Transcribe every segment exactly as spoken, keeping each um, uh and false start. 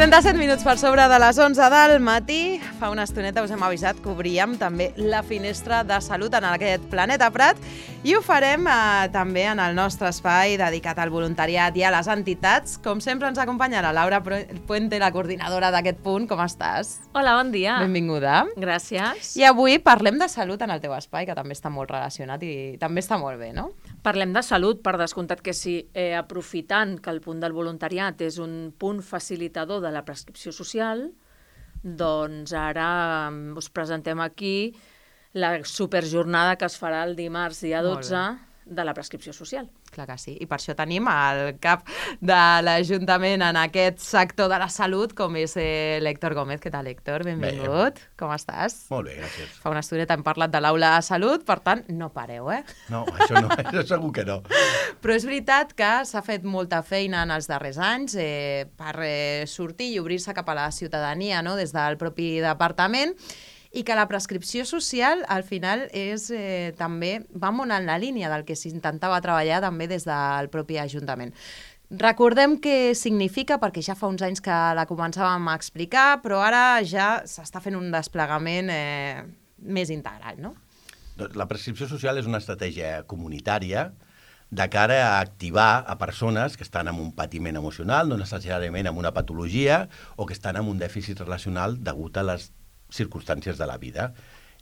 trenta-set minuts per sobre de les onze del matí. Fa una estoneta us hem avisat que obríem també la finestra de salut en aquest Planeta Prat i ho farem eh, també en el nostre espai dedicat al voluntariat i a les entitats. Com sempre ens acompanya la Laura Puente, la coordinadora d'aquest punt. Com estàs? Hola, bon dia. Benvinguda. Gràcies. I avui parlem de salut en el teu espai, que també està molt relacionat i també està molt bé, no? Parlem de salut, per descomptat que sí. Eh, aprofitant que el punt del voluntariat és un punt facilitador de la prescripció social, doncs ara us presentem aquí la superjornada que es farà el dimarts dia dotze de la prescripció social. Clar que sí, i per això tenim el cap de l'Ajuntament en aquest sector de la salut, com és eh, l'Héctor Gómez. Què tal, Héctor? Benvingut. Bé. Com estàs? Molt bé, gràcies. Fa una estoneta hem parlat de l'aula de salut, per tant, no pareu, eh? No, això no, això segur que no. Però és veritat que s'ha fet molta feina en els darrers anys eh, per eh, sortir i obrir-se cap a la ciutadania, no?, des del propi departament, i que la prescripció social al final és eh, també va molt en la línia del que s'intentava treballar també des del propi Ajuntament. Recordem què significa, perquè ja fa uns anys que la començàvem a explicar, però ara ja s'està fent un desplegament eh, més integral, no? La prescripció social és una estratègia comunitària de cara a activar a persones que estan amb un patiment emocional, no necessàriament amb una patologia, o que estan amb un dèficit relacional degut a les circumstàncies de la vida.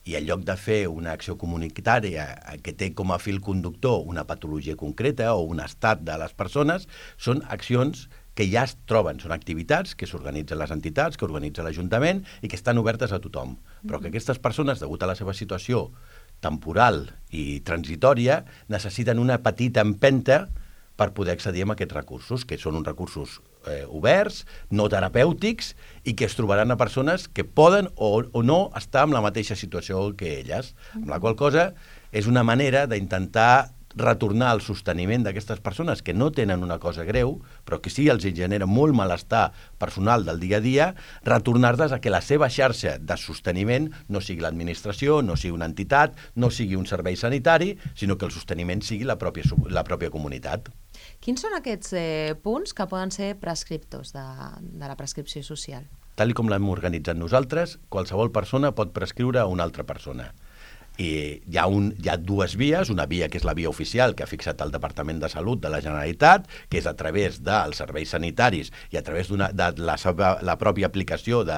I en lloc de fer una acció comunitària que té com a fil conductor una patologia concreta o un estat de les persones, són accions que ja es troben, són activitats que s'organitzen les entitats, que organitza l'Ajuntament i que estan obertes a tothom. Però que aquestes persones, degut a la seva situació temporal i transitòria, necessiten una petita empenta per poder accedir a aquests recursos, que són uns recursos eh, oberts, no terapèutics, i que es trobaran a persones que poden o, o no estar en la mateixa situació que elles. Amb la qual cosa és una manera d'intentar retornar al sosteniment d'aquestes persones que no tenen una cosa greu, però que sí els genera molt malestar personal del dia a dia, retornar-les a que la seva xarxa de sosteniment no sigui l'administració, no sigui una entitat, no sigui un servei sanitari, sinó que el sosteniment sigui la pròpia, la pròpia comunitat. Quins són aquests eh, punts que poden ser prescriptors de, de la prescripció social? Tal com l'hem organitzat nosaltres, qualsevol persona pot prescriure a una altra persona. I hi ha, un, hi ha dues vies, una via que és la via oficial que ha fixat el Departament de Salut de la Generalitat, que és a través dels serveis sanitaris i a través de la, seva, la pròpia aplicació de,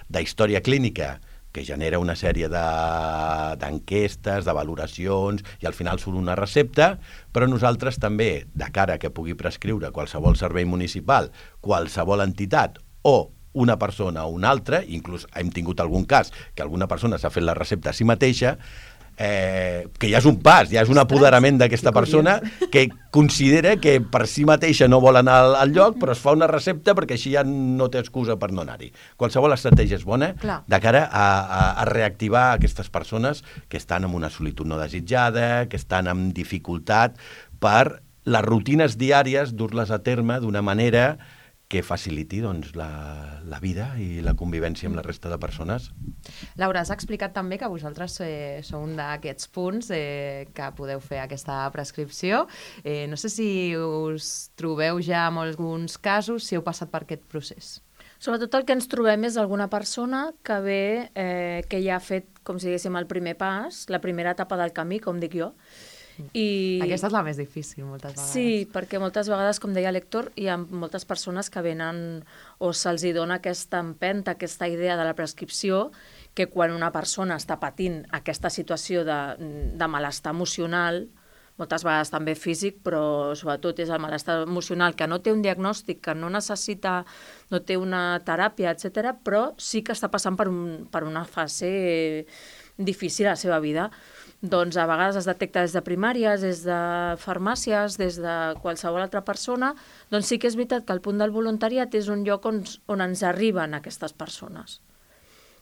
de història clínica, que genera una sèrie d'enquestes, de, de valoracions, i al final surt una recepta, però nosaltres també, de cara que pugui prescriure qualsevol servei municipal, qualsevol entitat o una persona o una altra, inclús hem tingut algun cas que alguna persona s'ha fet la recepta a si mateixa, eh, que ja és un pas, ja és un apoderament d'aquesta persona que considera que per si mateixa no vol anar al, al lloc, però es fa una recepta perquè així ja no té excusa per no anar-hi. Qualsevol estratègia és bona Clar. de cara a, a, a reactivar aquestes persones que estan en una solitud no desitjada, que estan amb dificultat per les rutines diàries dur-les a terme d'una manera que faciliti doncs, la, la vida i la convivència amb la resta de persones. Laura, has explicat també que vosaltres eh, sou un d'aquests punts eh, que podeu fer aquesta prescripció. Eh, no sé si us trobeu ja en alguns casos, si heu passat per aquest procés. Sobretot el que ens trobem és alguna persona que ve, eh, que ja ha fet, com si diguéssim, el primer pas, la primera etapa del camí, com dic jo. I... Aquesta és la més difícil, moltes vegades. Sí, perquè moltes vegades, com deia l'Héctor, hi ha moltes persones que venen o se'ls dona aquesta empenta, aquesta idea de la prescripció, que quan una persona està patint aquesta situació de, de malestar emocional, moltes vegades també físic, però sobretot és el malestar emocional, que no té un diagnòstic, que no necessita, no té una teràpia, etcètera, però sí que està passant per, un, per una fase difícil a la seva vida. Doncs a vegades es detecta des de primàries, des de farmàcies, des de qualsevol altra persona, doncs sí que és veritat que el punt del voluntariat és un lloc on, on ens arriben aquestes persones.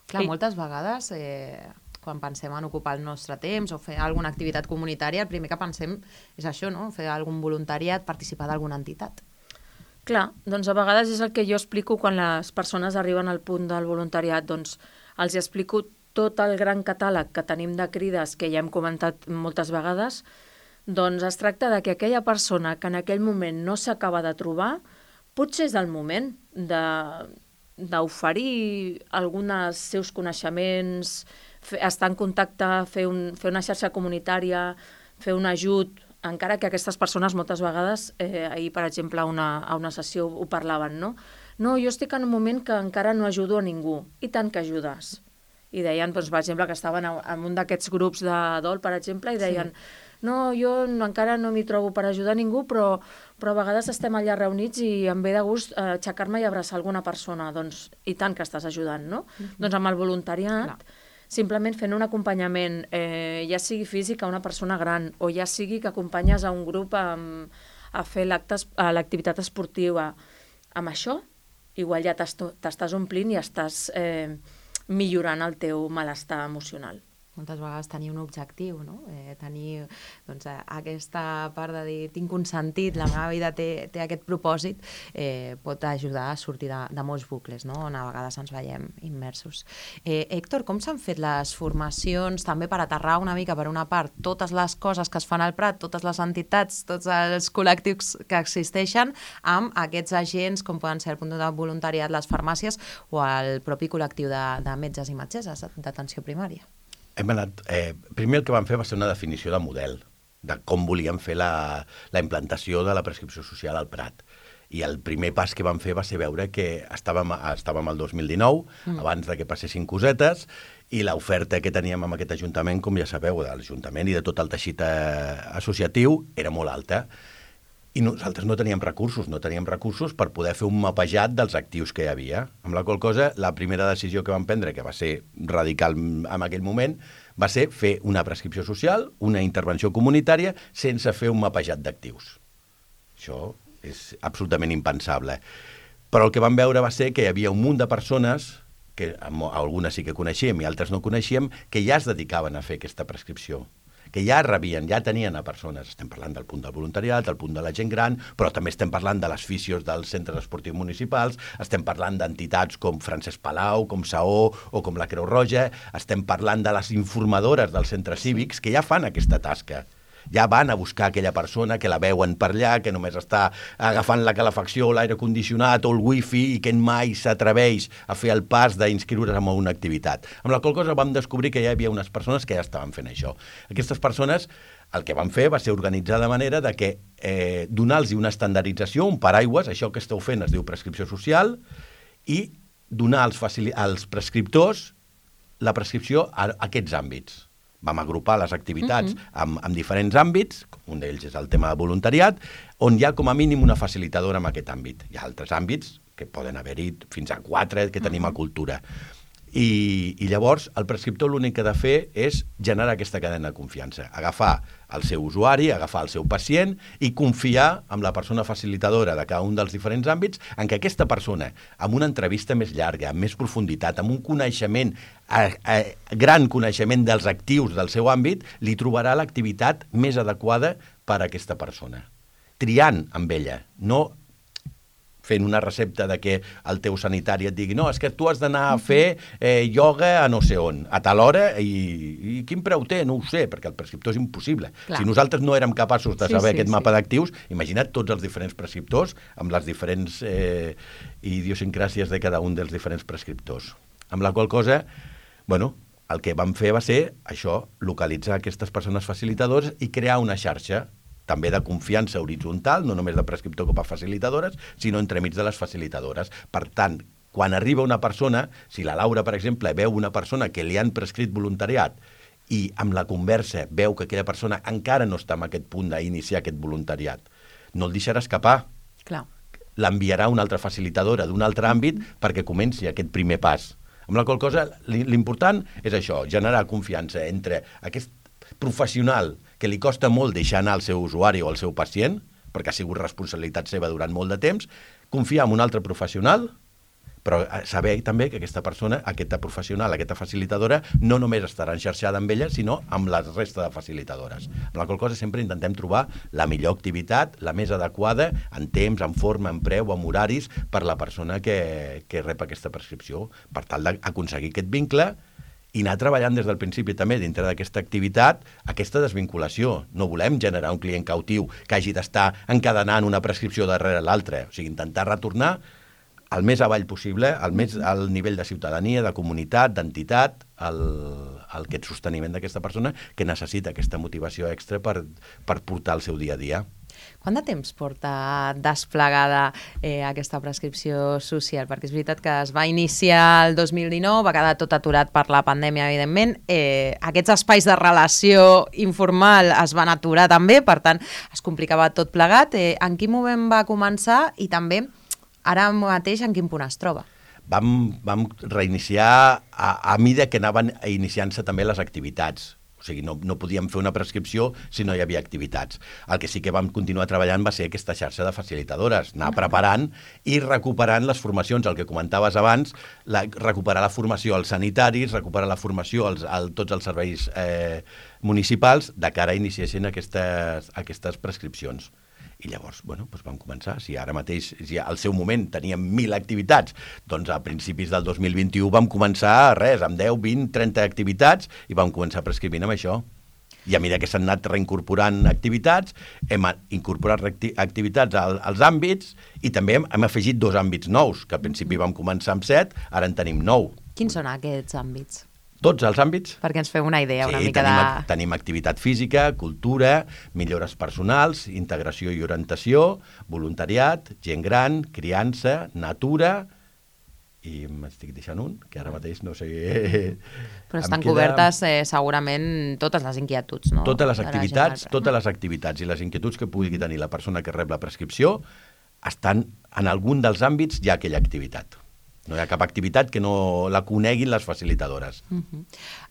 Clar, I... moltes vegades, eh, quan pensem en ocupar el nostre temps o fer alguna activitat comunitària, el primer que pensem és això, no? Fer algun voluntariat, participar d'alguna entitat. Clar, doncs a vegades és el que jo explico quan les persones arriben al punt del voluntariat, doncs els explico tot el gran catàleg que tenim de crides, que ja hem comentat moltes vegades, doncs es tracta de que aquella persona que en aquell moment no s'acaba de trobar, potser és el moment de d'oferir alguns seus coneixements, fer, estar en contacte, fer, un, fer una xarxa comunitària, fer un ajut, encara que aquestes persones moltes vegades, eh, ahir per exemple a una, a una sessió ho parlaven, no? No, jo estic en un moment que encara no ajudo a ningú, i tant que ajudes. I deien, doncs, per exemple, que estaven en un d'aquests grups de dol, per exemple, i deien, sí. no, jo no, encara no m'hi trobo per ajudar a ningú, però, però a vegades estem allà reunits i em ve de gust eh, aixecar-me i abraçar alguna persona. Doncs, i tant que estàs ajudant, no? Mm-hmm. Doncs amb el voluntariat, clar, simplement fent un acompanyament, eh, ja sigui físic a una persona gran, o ja sigui que acompanyes a un grup a, a fer l'activitat esportiva, amb això, igual ja t'estàs omplint i estàs eh, millorant el teu malestar emocional. Moltes vegades tenir un objectiu, no? Eh, tenir doncs, aquesta part de dir tinc un sentit, la meva vida té, té aquest propòsit, eh, pot ajudar a sortir de, de molts bucles, no? On a vegades ens veiem immersos. Eh, Héctor, com s'han fet les formacions també per aterrar una mica, per una part, totes les coses que es fan al Prat, totes les entitats, tots els col·lectius que existeixen, amb aquests agents com poden ser el punt de voluntariat, les farmàcies o el propi col·lectiu de, de metges i metgesses d'atenció primària? Hem anat, eh, primer el que vam fer va ser una definició de model, de com volíem fer la, la implantació de la prescripció social al Prat. I el primer pas que vam fer va ser veure que estàvem, estàvem al dos mil dinou, mm. abans de que passessin cosetes, i l'oferta que teníem amb aquest Ajuntament, com ja sabeu, de l'Ajuntament i de tot el teixit eh, associatiu, era molt alta. I nosaltres no teníem recursos, no teníem recursos per poder fer un mapejat dels actius que hi havia. Amb la qual cosa, la primera decisió que vam prendre, que va ser radical en aquell moment, va ser fer una prescripció social, una intervenció comunitària, sense fer un mapejat d'actius. Això és absolutament impensable. Però el que vam veure va ser que hi havia un munt de persones, que algunes sí que coneixíem i altres no coneixíem, que ja es dedicaven a fer aquesta prescripció, que ja rebien, ja tenien a persones. Estem parlant del punt del voluntariat, del punt de la gent gran, però també estem parlant de les fisios dels centres esportius municipals, estem parlant d'entitats com Francesc Palau, com Saó o com la Creu Roja, estem parlant de les informadores dels centres cívics que ja fan aquesta tasca. Ja van a buscar aquella persona que la veuen per allà, que només està agafant la calefacció, l'aire condicionat o el wifi i que mai s'atreveix a fer el pas d'inscriure's en una activitat. Amb la qual cosa vam descobrir que hi havia unes persones que ja estaven fent això. Aquestes persones el que van fer va ser organitzar de manera de que eh, donar-los una estandardització, un paraigües, això que esteu fent es diu prescripció social, i donar als, als prescriptors la prescripció a, a aquests àmbits. Vam agrupar les activitats mm-hmm. amb, amb diferents àmbits, un d'ells és el tema de voluntariat, on hi ha com a mínim una facilitadora en aquest àmbit. Hi ha altres àmbits, que poden haver-hi fins a quatre, que tenim mm-hmm. a cultura. I, I llavors el prescriptor l'únic que ha de fer és generar aquesta cadena de confiança, agafar el seu usuari, agafar el seu pacient i confiar en la persona facilitadora de cada un dels diferents àmbits en que aquesta persona, amb una entrevista més llarga, amb més profunditat, amb un coneixement, a, a, gran coneixement dels actius del seu àmbit, li trobarà l'activitat més adequada per a aquesta persona. Triant amb ella, no fent una recepta de que el teu sanitari et digui no, és que tu has d'anar a fer eh, ioga a no sé on, a tal hora, i, i quin preu té? No ho sé, perquè el prescriptor és impossible. Clar. Si nosaltres no érem capaços de saber sí, sí, aquest mapa sí. d'actius, imagina't tots els diferents prescriptors amb les diferents eh, idiosincràsies de cada un dels diferents prescriptors. Amb la qual cosa, bueno, el que vam fer va ser això, localitzar aquestes persones facilitadores i crear una xarxa també de confiança horitzontal, no només de prescriptor com a facilitadores, sinó entremig de les facilitadores. Per tant, quan arriba una persona, si la Laura, per exemple, veu una persona que li han prescrit voluntariat i amb la conversa veu que aquella persona encara no està en aquest punt d'iniciar aquest voluntariat, no el deixarà escapar. Clar. L'enviarà a una altra facilitadora d'un altre àmbit mm-hmm. perquè comenci aquest primer pas. Amb la qual cosa, l'important és això, generar confiança entre aquest professional que li costa molt deixar anar el seu usuari o el seu pacient, perquè ha sigut responsabilitat seva durant molt de temps, confiar en un altre professional, però saber també que aquesta persona, aquesta professional, aquesta facilitadora, no només estarà enxarxada amb ella, sinó amb la resta de facilitadores. Amb la qual cosa sempre intentem trobar la millor activitat, la més adequada, en temps, en forma, en preu, en horaris, per la persona que, que rep aquesta prescripció, per tal d'aconseguir aquest vincle i anar treballant des del principi també dintre d'aquesta activitat, aquesta desvinculació. No volem generar un client cautiu que hagi d'estar encadenant una prescripció darrere l'altra. O sigui, intentar retornar el més avall possible, el més al nivell de ciutadania, de comunitat, d'entitat, el, el, aquest sosteniment d'aquesta persona que necessita aquesta motivació extra per, per portar el seu dia a dia. Quant de temps porta desplegada eh, aquesta prescripció social? Perquè és veritat que es va iniciar el dos mil dinou, va quedar tot aturat per la pandèmia, evidentment. Eh, aquests espais de relació informal es van aturar també, per tant, es complicava tot plegat. Eh, en quin moment va començar i també, ara mateix, en quin punt es troba? Vam, vam reiniciar a, a mida que anaven iniciant-se també les activitats. O sigui, no, no podíem fer una prescripció si no hi havia activitats. El que sí que vam continuar treballant va ser aquesta xarxa de facilitadores, anar preparant i recuperant les formacions, el que comentaves abans, la, recuperar la formació als sanitaris, recuperar la formació als, a tots els serveis eh, municipals de cara a iniciessin aquestes, aquestes prescripcions. I llavors, bueno, doncs vam començar. Si ara mateix, si al seu moment teníem mil activitats, doncs a principis del dos mil vint-i-u vam començar, res, amb deu, vint, trenta activitats i vam començar prescrivint amb això. I a mesura que s'han anat reincorporant activitats, hem incorporat activitats als, als àmbits i també hem, hem afegit dos àmbits nous, que al principi vam començar amb set, ara en tenim nou. Quins són aquests àmbits? Tots els àmbits. Perquè ens fem una idea una sí, mica tenim, de... tenim activitat física, cultura, millores personals, integració i orientació, voluntariat, gent gran, criança, natura, i m'estic deixant un, que ara mateix no sé... Però estan queda... cobertes eh, segurament totes les inquietuds, no? Totes les activitats, totes les activitats i les inquietuds que pugui tenir la persona que rep la prescripció estan en algun dels àmbits hi ha aquella activitat. No hi ha cap activitat que no la coneguin les facilitadores. Uh -huh.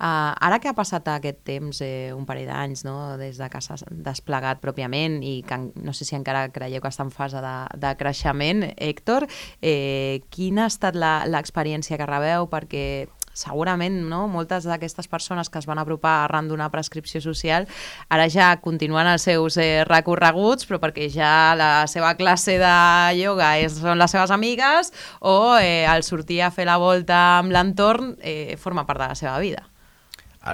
uh, ara que ha passat aquest temps, eh, un parell d'anys, no?, des de que s'ha desplegat pròpiament i que no sé si encara creieu que està en fase de, de creixement, Héctor, eh, quina ha estat l'experiència que rebeu? Perquè segurament, no?, moltes d'aquestes persones que es van apropar arran d'una prescripció social ara ja continuen els seus eh, recorreguts, però perquè ja la seva classe de ioga és, són les seves amigues o eh, el sortir a fer la volta amb l'entorn eh, forma part de la seva vida.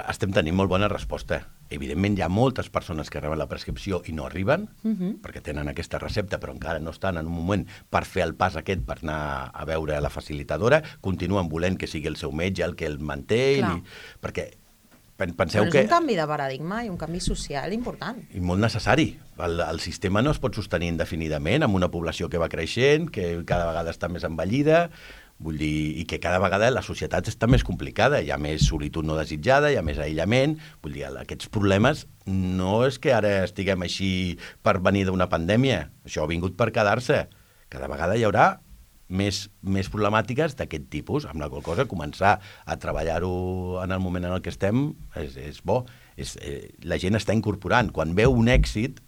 Estem tenint molt bona resposta. Evidentment, hi ha moltes persones que reben la prescripció i no arriben, uh-huh. perquè tenen aquesta recepta, però encara no estan en un moment per fer el pas aquest, per anar a veure la facilitadora, continuen volent que sigui el seu metge el que el manté, i, perquè penseu però és que... un canvi de paradigma i un canvi social important. I molt necessari. El, el sistema no es pot sostenir indefinidament amb una població que va creixent, que cada vegada està més envellida, vull dir, i que cada vegada la societat està més complicada, hi ha més solitud no desitjada, hi ha més aïllament, vull dir, aquests problemes no és que ara estiguem així per venir d'una pandèmia, això ha vingut per quedar-se. Cada vegada hi haurà més, més problemàtiques d'aquest tipus, amb la qual cosa començar a treballar-ho en el moment en el que estem és, és bo. És, eh, la gent està incorporant. Quan veu un èxit,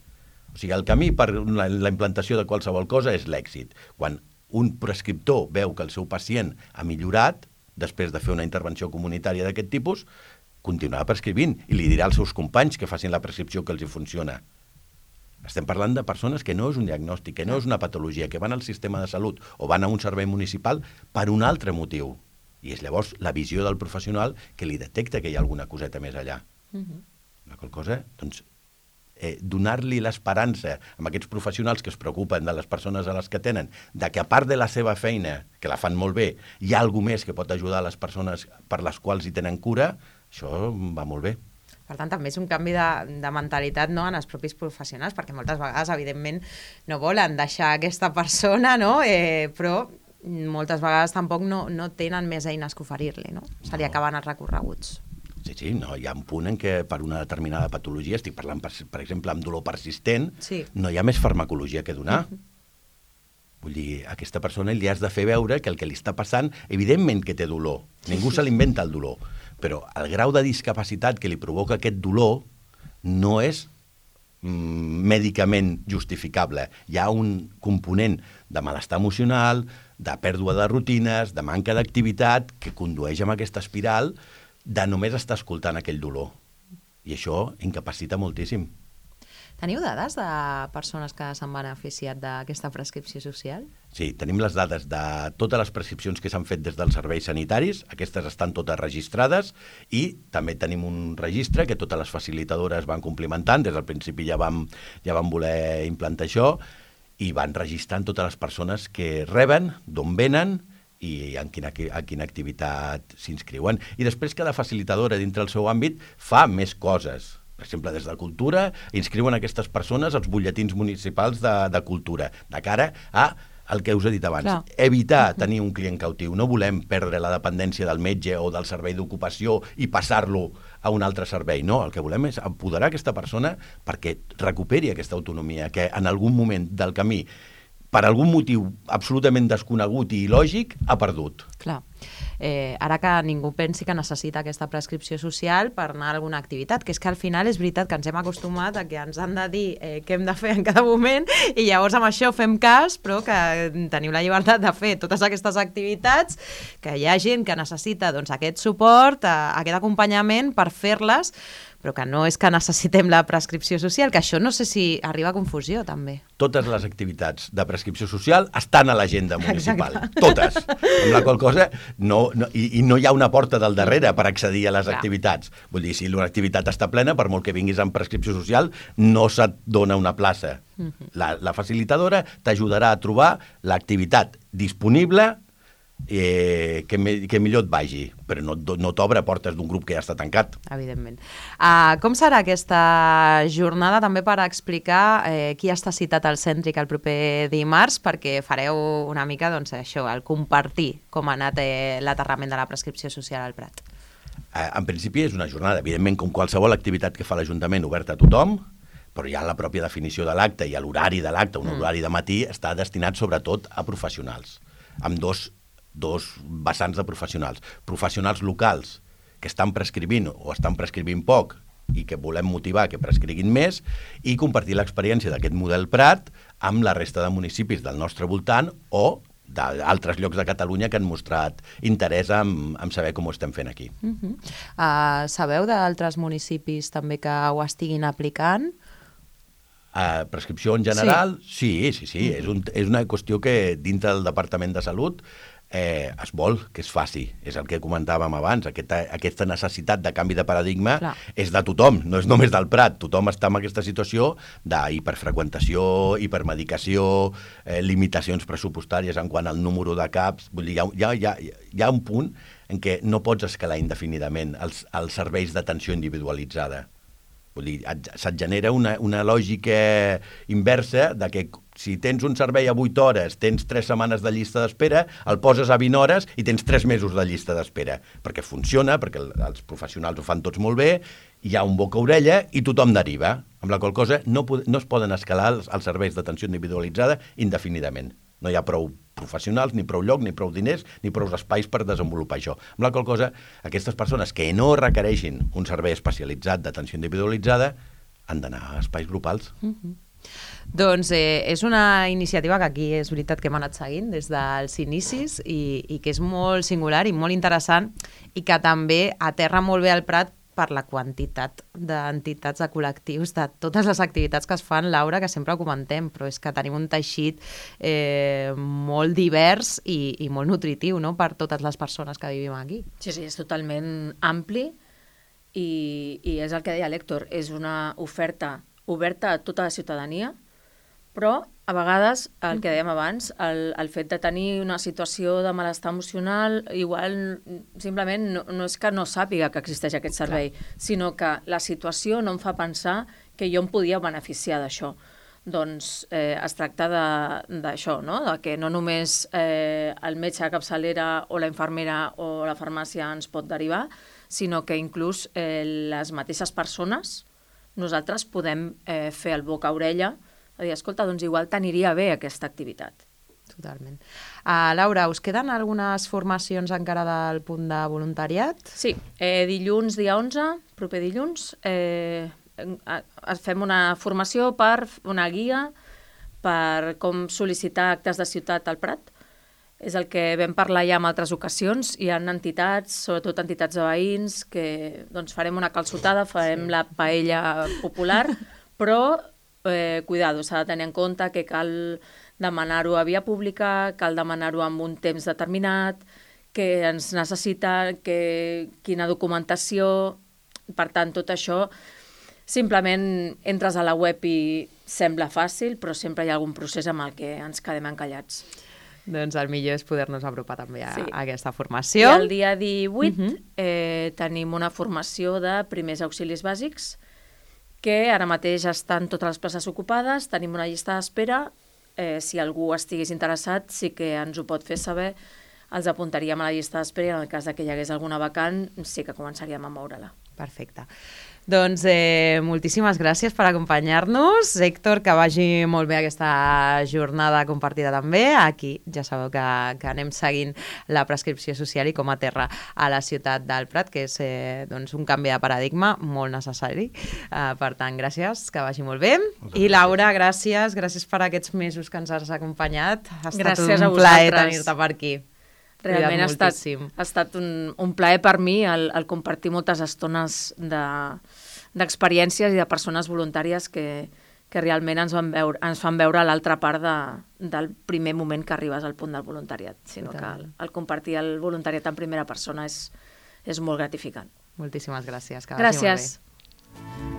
o sigui, el camí per la, la implantació de qualsevol cosa és l'èxit. Quan un prescriptor veu que el seu pacient ha millorat, després de fer una intervenció comunitària d'aquest tipus, continuarà prescrivint i li dirà als seus companys que facin la prescripció que els hi funciona. Estem parlant de persones que no és un diagnòstic, que no és una patologia, que van al sistema de salut o van a un servei municipal per un altre motiu. I és llavors la visió del professional que li detecta que hi ha alguna coseta més allà. Uh-huh. La qual cosa, doncs, Eh, donar-li l'esperança amb aquests professionals que es preocupen de les persones a les que tenen, de que a part de la seva feina, que la fan molt bé, hi ha alguna més que pot ajudar a les persones per les quals hi tenen cura, això va molt bé. Per tant, també és un canvi de, de mentalitat, no?, en els propis professionals, perquè moltes vegades, evidentment, no volen deixar aquesta persona, no?, eh, però moltes vegades tampoc no, no tenen més eines que oferir-li, no? Se li no. acaben els recorreguts. Sí, sí, no, hi ha un punt en què per una determinada patologia, estic parlant, per, per exemple, amb dolor persistent, sí. no hi ha més farmacologia que donar. Uh-huh. Vull dir, a aquesta persona li has de fer veure que el que li està passant, evidentment que té dolor, ningú se l'inventa el dolor, però el grau de discapacitat que li provoca aquest dolor no és mm, mèdicament justificable. Hi ha un component de malestar emocional, de pèrdua de rutines, de manca d'activitat, que condueix a aquesta espiral de només estar escoltant aquell dolor. I això incapacita moltíssim. Teniu dades de persones que s'han beneficiat d'aquesta prescripció social? Sí, tenim les dades de totes les prescripcions que s'han fet des dels serveis sanitaris, aquestes estan totes registrades, i també tenim un registre que totes les facilitadores van complimentant, des del principi ja vam, ja vam voler implantar això, i van registrant totes les persones que reben, d'on venen i en quina, en quina activitat s'inscriuen. I després cada facilitadora dintre el seu àmbit fa més coses. Per exemple, des de Cultura inscriuen aquestes persones als butlletins municipals de, de Cultura, de cara a el que us he dit abans, Clar. evitar tenir un client cautiu. No volem perdre la dependència del metge o del servei d'ocupació i passar-lo a un altre servei. No, el que volem és empoderar aquesta persona perquè recuperi aquesta autonomia que en algun moment del camí, per algun motiu absolutament desconegut i il·lògic, ha perdut. Clar. Eh, ara que ningú pensi que necessita aquesta prescripció social per anar a alguna activitat, que és que al final és veritat que ens hem acostumat a que ens han de dir eh, què hem de fer en cada moment i llavors amb això fem cas, però que teniu la llibertat de fer totes aquestes activitats, que hi ha gent que necessita doncs, aquest suport, eh, aquest acompanyament per fer-les, però que no és que necessitem la prescripció social, que això no sé si arriba a confusió també. Totes les activitats de prescripció social estan a l'agenda municipal. Exacte. Totes. Amb la qual cosa, no, no, i, i no hi ha una porta del darrere per accedir a les Clar. activitats. Vull dir, si una activitat està plena, per molt que vinguis amb prescripció social, no se't dona una plaça. Uh-huh. La, la facilitadora t'ajudarà a trobar l'activitat disponible Eh, que, me, que millor et vagi, però no, no t'obre portes d'un grup que ja està tancat. Evidentment. Uh, com serà aquesta jornada també per explicar eh, qui està citat al Cèntric el proper dimarts, perquè fareu una mica doncs, això, el compartir com ha anat eh, l'aterrament de la prescripció social al Prat? Eh, en principi és una jornada, evidentment, com qualsevol activitat que fa l'Ajuntament oberta a tothom, però ja la pròpia definició de l'acte i l'horari de l'acte, un mm. horari de matí, està destinat sobretot a professionals, amb dos dos vessants de professionals. Professionals locals que estan prescrivint o estan prescrivint poc i que volem motivar que prescriguin més i compartir l'experiència d'aquest model Prat amb la resta de municipis del nostre voltant o d'altres llocs de Catalunya que han mostrat interès en, en saber com ho estem fent aquí. Uh-huh. uh, sabeu d'altres municipis també que ho estiguin aplicant? Uh, prescripció en general? Sí, sí, sí. sí. Uh-huh. És, un, és una qüestió que dintre del Departament de Salut Eh, es vol que es faci, és el que comentàvem abans, aquesta, aquesta necessitat de canvi de paradigma Clar. És de tothom, no és només del Prat, tothom està en aquesta situació d'hiperfreqüentació, hipermedicació, eh, limitacions pressupostàries en quant al número de caps, vull dir, hi ha, hi ha, hi ha un punt en què no pots escalar indefinidament els, els serveis d'atenció individualitzada. Vull dir, se't genera una, una lògica inversa de que si tens un servei a vuit hores, tens tres setmanes de llista d'espera, el poses a vint hores i tens tres mesos de llista d'espera. Perquè funciona, perquè els professionals ho fan tots molt bé, hi ha un boca-orella i tothom deriva. Amb la qual cosa no, no es poden escalar els, els serveis d'atenció individualitzada indefinidament. No hi ha prou professionals, ni prou lloc, ni prou diners, ni prou espais per desenvolupar això. Amb la qual cosa, aquestes persones que no requereixin un servei especialitzat d'atenció individualitzada han d'anar a espais grupals. Mm-hmm. Doncs eh, és una iniciativa que aquí és veritat que hem anat seguint des dels inicis i, i que és molt singular i molt interessant i que també aterra molt bé al Prat per la quantitat d'entitats, de col·lectius, de totes les activitats que es fan, Laura, que sempre ho comentem, però és que tenim un teixit eh, molt divers i, i molt nutritiu, no?, per totes les persones que vivim aquí. Sí, sí, és totalment ampli i, i és el que deia l'Héctor, és una oferta oberta a tota la ciutadania, però a vegades, el que dèiem abans, el, el fet de tenir una situació de malestar emocional, igual simplement no, no és que no sàpiga que existeix aquest servei, Clar. Sinó que la situació no em fa pensar que jo em podia beneficiar d'això. Doncs eh, es tracta d'això, no? De que no només eh, el metge de capçalera o la infermera o la farmàcia ens pot derivar, sinó que inclús eh, les mateixes persones, nosaltres podem eh, fer el boca-orella, a dir, escolta, doncs igual t'aniria bé aquesta activitat. Totalment. Uh, Laura, us queden algunes formacions encara del punt de voluntariat? Sí, eh, dilluns, dia onze, proper dilluns, eh, fem una formació per una guia per com sol·licitar actes de ciutat al Prat. És el que vam parlar ja en altres ocasions. Hi ha entitats, sobretot entitats de veïns, que doncs, farem una calçotada, farem sí. la paella popular, però Eh, cuidado, s'ha de tenir en compte que cal demanar-ho a via pública, cal demanar-ho amb un temps determinat, que ens necessita, que, quina documentació. Per tant, tot això, simplement entres a la web i, sembla fàcil, però sempre hi ha algun procés amb el que ens quedem encallats. Doncs el millor és poder-nos apropar també a, Sí. a aquesta formació. I el dia divuit Uh -huh. eh, tenim una formació de primers auxilis bàsics, que ara mateix estan totes les places ocupades, tenim una llista d'espera, eh, si algú estigués interessat sí que ens ho pot fer saber, els apuntaríem a la llista d'espera i en el cas de que hi hagués alguna vacant sí que començaríem a moure-la. Perfecte. Doncs eh, moltíssimes gràcies per acompanyar-nos. Héctor, que vagi molt bé aquesta jornada compartida també. Aquí ja sabeu que, que anem seguint la prescripció social i com a terra a la ciutat del Prat, que és eh, doncs un canvi de paradigma molt necessari. Uh, per tant, gràcies, que vagi molt bé. Moltes I Laura, gràcies, gràcies per aquests mesos que ens has acompanyat. Ha estat Gràcies a un plaer vosaltres. tenir-te per aquí. Realment ha estat, moltíssim. ha estat un, un plaer per mi el, el compartir moltes estones de- d'experiències i de persones voluntàries que, que realment ens, van veure, ens fan veure l'altra part de, del primer moment que arribes al punt del voluntariat, sinó Total. que el, el compartir el voluntariat en primera persona és, és molt gratificant. Moltíssimes gràcies. Que vagi molt bé. Gràcies.